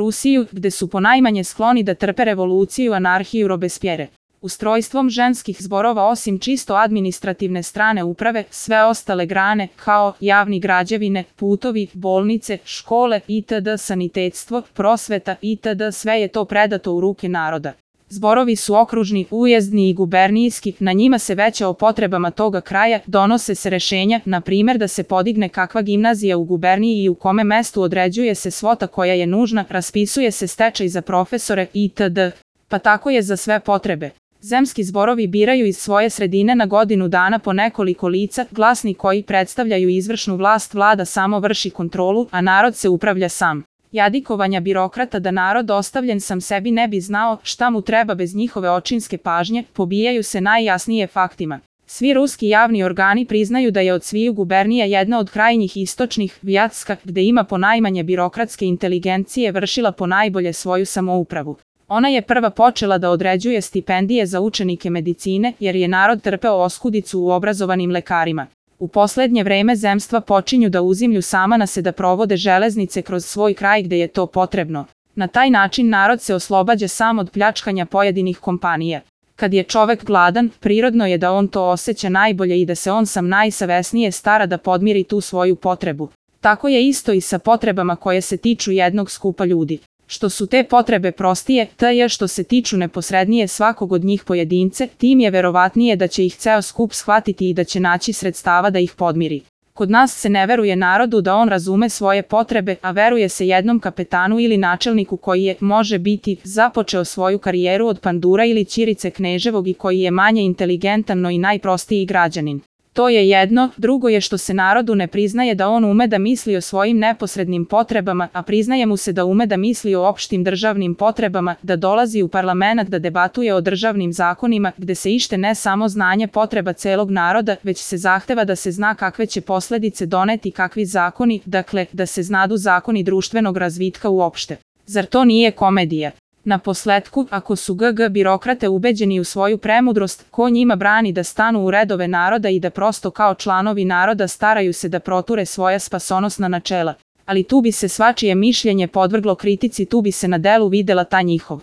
Rusiju, gde su ponajmanje skloni da trpe revoluciju, anarhiju, Robespierre. Ustrojstvom ženskih zborova osim čisto administrativne strane uprave, sve ostale grane, kao javni građevine, putovi, bolnice, škole itd., sanitetstvo, prosveta itd., sve je to predato u ruke naroda. Zborovi su okružni, ujezdni i gubernijski, na njima se veće o potrebama toga kraja, donose se rešenja, na primjer da se podigne kakva gimnazija u guberniji i u kome mestu određuje se svota koja je nužna, raspisuje se stečaj za profesore itd. Pa tako je za sve potrebe. Zemski zborovi biraju iz svoje sredine na godinu dana po nekoliko lica, glasni koji predstavljaju izvršnu vlast, vlada samo vrši kontrolu, a narod se upravlja sam. Jadikovanja birokrata da narod ostavljen sam sebi ne bi znao šta mu treba bez njihove očinske pažnje, pobijaju se najjasnije faktima. Svi ruski javni organi priznaju da je od sviju gubernija jedna od krajnjih istočnih, Vjatska, gde ima ponajmanje birokratske inteligencije, vršila ponajbolje svoju samoupravu. Ona je prva počela da određuje stipendije za učenike medicine, jer je narod trpeo oskudicu u obrazovanim lekarima. U poslednje vreme zemstva počinju da uzimlju sama na se da provode železnice kroz svoj kraj gde je to potrebno. Na taj način narod se oslobađa sam od pljačkanja pojedinih kompanija. Kad je čovek gladan, prirodno je da on to osjeća najbolje i da se on sam najsavesnije stara da podmiri tu svoju potrebu. Tako je isto i sa potrebama koje se tiču jednog skupa ljudi. Što su te potrebe prostije, što se tiču neposrednije svakog od njih pojedince, tim je verovatnije da će ih ceo skup shvatiti i da će naći sredstava da ih podmiri. Kod nas se ne veruje narodu da on razume svoje potrebe, a veruje se jednom kapetanu ili načelniku koji je, može biti, započeo svoju karijeru od pandura ili ćirice kneževog i koji je manje inteligentan no i najprostiji građanin. To je jedno, drugo je što se narodu ne priznaje da on ume da misli o svojim neposrednim potrebama, a priznaje mu se da ume da misli o opštim državnim potrebama, da dolazi u parlament da debatuje o državnim zakonima, gde se ište ne samo znanje potreba celog naroda, već se zahteva da se zna kakve će posledice doneti kakvi zakoni, dakle, da se znadu zakoni društvenog razvitka uopšte. Zar to nije komedija? Na posletku, ako su birokrate ubeđeni u svoju premudrost, ko njima brani da stanu u redove naroda i da prosto kao članovi naroda staraju se da proture svoja spasonosna načela. Ali tu bi se svačije mišljenje podvrglo kritici, tu bi se na delu videla ta njihov